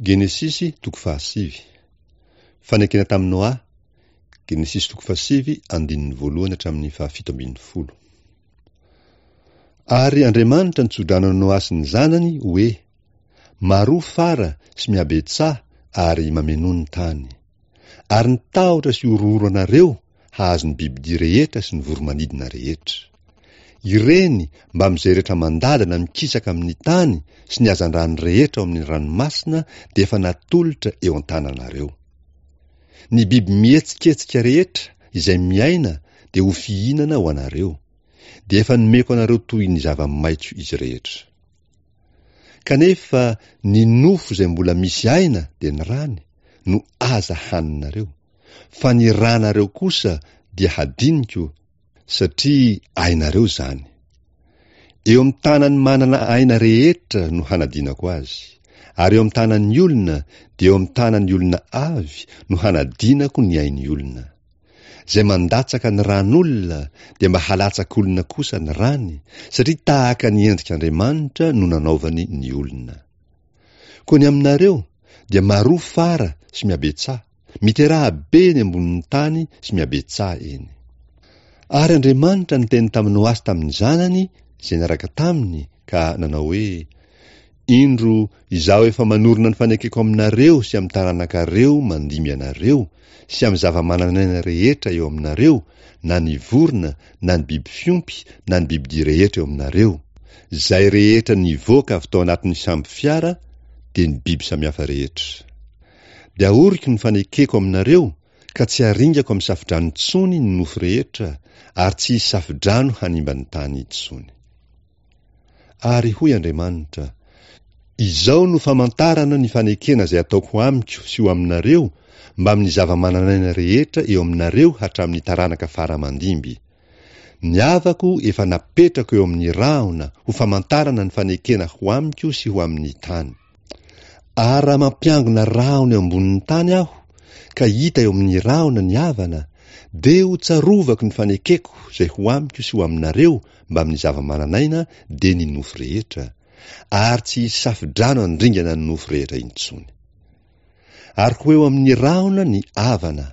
Genesisy toko fahasivy. Fanekena tamin'i Noa, Genesisy toko fahasivy andininy voalohany hatramin'ny fahafito ambin'ny folo. Ary Andriamanitra nitsodrano an'i Noa sy ny zanany hoe, Maroa fara sy mihabetsaha ary mamenoa ny tany. Ary ny tahotra sy horohoro anareo hahazo ny bibidia rehetra sy ny voro-manidina rehetra. Ireny mbamin'izay rehetra mandady na mikisaka amin'ny tany sy ny hazandrano rehetra ao amin'ny ranomasina dia efa natolotra eo an-tananareo. Ny biby mihetsiketsika rehetra izay miaina dia ho fihinana ho anareo, dia efa nomeko anareo toy ny zava-maitso izy rehetra. Kanefa ny nofo izay mbola misy aina dia ny rany no aza haninareo. Fa ny rànareo kosa dia hadiniko satria ainareo izany. Eo amin'ny tanan'ny manana aina rehetra no hanadinako azy, ary eo amin'ny tanan'ny olona dia eo amin'ny tanan'ny olona avy no hanadinako ny ain'ny olona. Izay mandatsaka ny ràn'olona dia mba halatsak'olona kosa ny ràny, satria tahaka ny endrik'Andriamanitra no nanaovany ny olona. Koa ny aminareo dia maroa fara sy mihabetsaha, miteraha be eny ambonin'ny tany sy mihabetsaha eny. Ary Andriamanitra niteny tamin'i Noa sy tamin'ny zanany izay niaraka taminy ka nanao hoe, Indro, Izaho efa manorina ny fanekeko aminareo sy amin'ny taranakareo mandimby anareo sy amin'ny zava-manan'aina rehetra eo aminareo, na ny vorona, na ny biby fiompy, na ny bibidia rehetra eo aminareo. Izay rehetra nivoaka avy tao anatin'ny sambo fiara dia ny biby samihafa rehetra. Dia ahoriko ny fanekeko aminareo ka tsy haringako amin'ny safodrano intsony ny nofo rehetra ary tsy hisy safodrano hanimba ny tany intsony. Ary hoy Andriamanitra, Izao no famantarana ny fanekena izay ataoko amiko sy ho aminareo mbamin'ny zava-manan'aina rehetra eo aminareo hatramin'ny taranaka fara aman-dimby. Ny avako efa napetrako eo amin'ny rahona ho famantarana ny fanekena ho amiko sy ho amin'ny tany. Ary raha mampiangona rahona eo ambonin'ny tany aho, ka hita eo amin'ny rahona ny avana, dia ho tsarovako ny fanekeko izay ho amiko sy ho aminareo mbamin'ny zava-manan'aina dia ny nofo rehetra, ary tsy hisy safodrano handringana ny nofo rehetra intsony. Ary ho eo amin'ny rahona ny avana,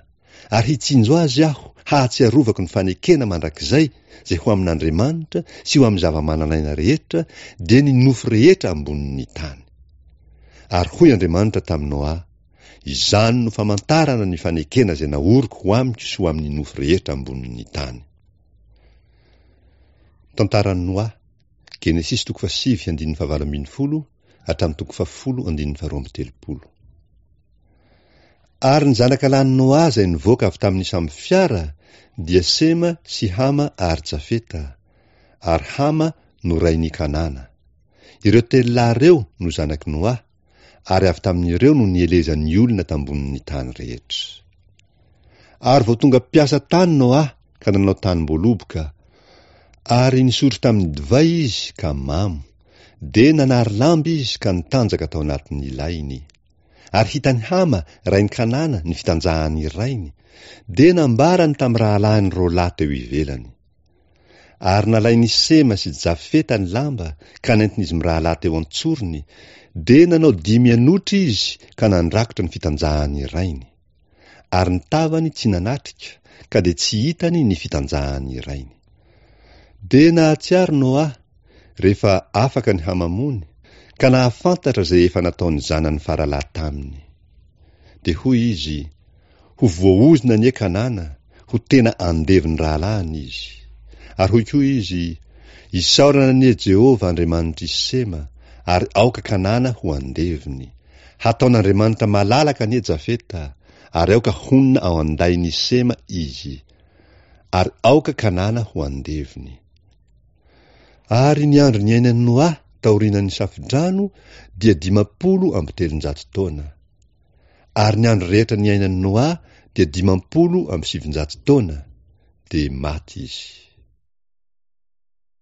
ary hitsinjo azy aho hahatsiarovako ny fanekena mandrakizay izay ho amin'Andriamanitra sy ho amin'ny zava-manan'aina rehetra, dia ny nofo rehetra ambonin'ny tany. Ary hoy Andriamanitra tamin'i Noa, Izany no famantarana ny fanekena izay naoriko ho amiko sy ho amin'ny nofo rehetra ambonin'ny tany. Tantaran'i Noa, Genesisy toko fahasivy andininy fahavalo ambin'ny folo hatramin'ny toko fahafolo andininy faharoa amby telopolo. Ary ny zanaka lahin'i Noa izay nivoaka avy tamin'ny sambo fiara dia Sema sy Hama ary Jafeta, ary Hama no rain'i Kanana. Ireo telo lahy ireo no zanak'i Noa, ary avy tamin'ireo no nielezan'ny olona tambonin'ny tany rehetra. Ary vao tonga mpiasa tany Noa ka nanao tanim-boaloboka, ary nisotro tamin'ny divay izy ka mamo, dia nanary lamba izy ka nitanjaka tao anatin'ny lainy. Ary hitan'i Hama, rain'i Kanana, ny fitanjahan'ny rainy, dia nambarany tamin'ny rahalahiny roalahy teo ivelany. Ary nalain'i Sema sy Jafeta ny lamba ka nentin'izy mirahalahy teo an-tsorony, dia nanao dimy anotra izy ka nandrakotra ny fitanjahan'ny rainy. Ary ny tavany tsy nanatrika, ka dia tsy hitany ny fitanjahan'ny rainy. Dia nahatsiaro Noa, rehefa afaka ny hamamony, ka nahafantatra izay efa nataon'ny zanany faralahy taminy. Dia hoy izy, Ho voaozona anie Kanana, ho tena andevon'ny rahalahiny izy. Ary hoy koa izy, Isaorana anie Jehovah Andriamanitr'i Sema, ary aoka Kanana ho andevony. Hataon'Andriamanitra malalaka anie Jafeta, ary aoka honina ao an-dain'i Sema izy. Ary aoka Kanana ho andevony. Ary ny andro niainan'i Noa taorianan'ny Safodrano dia 350 taona. Ary ny andro rehetra niainan'i Noa dia 950 taona, dia maty izy.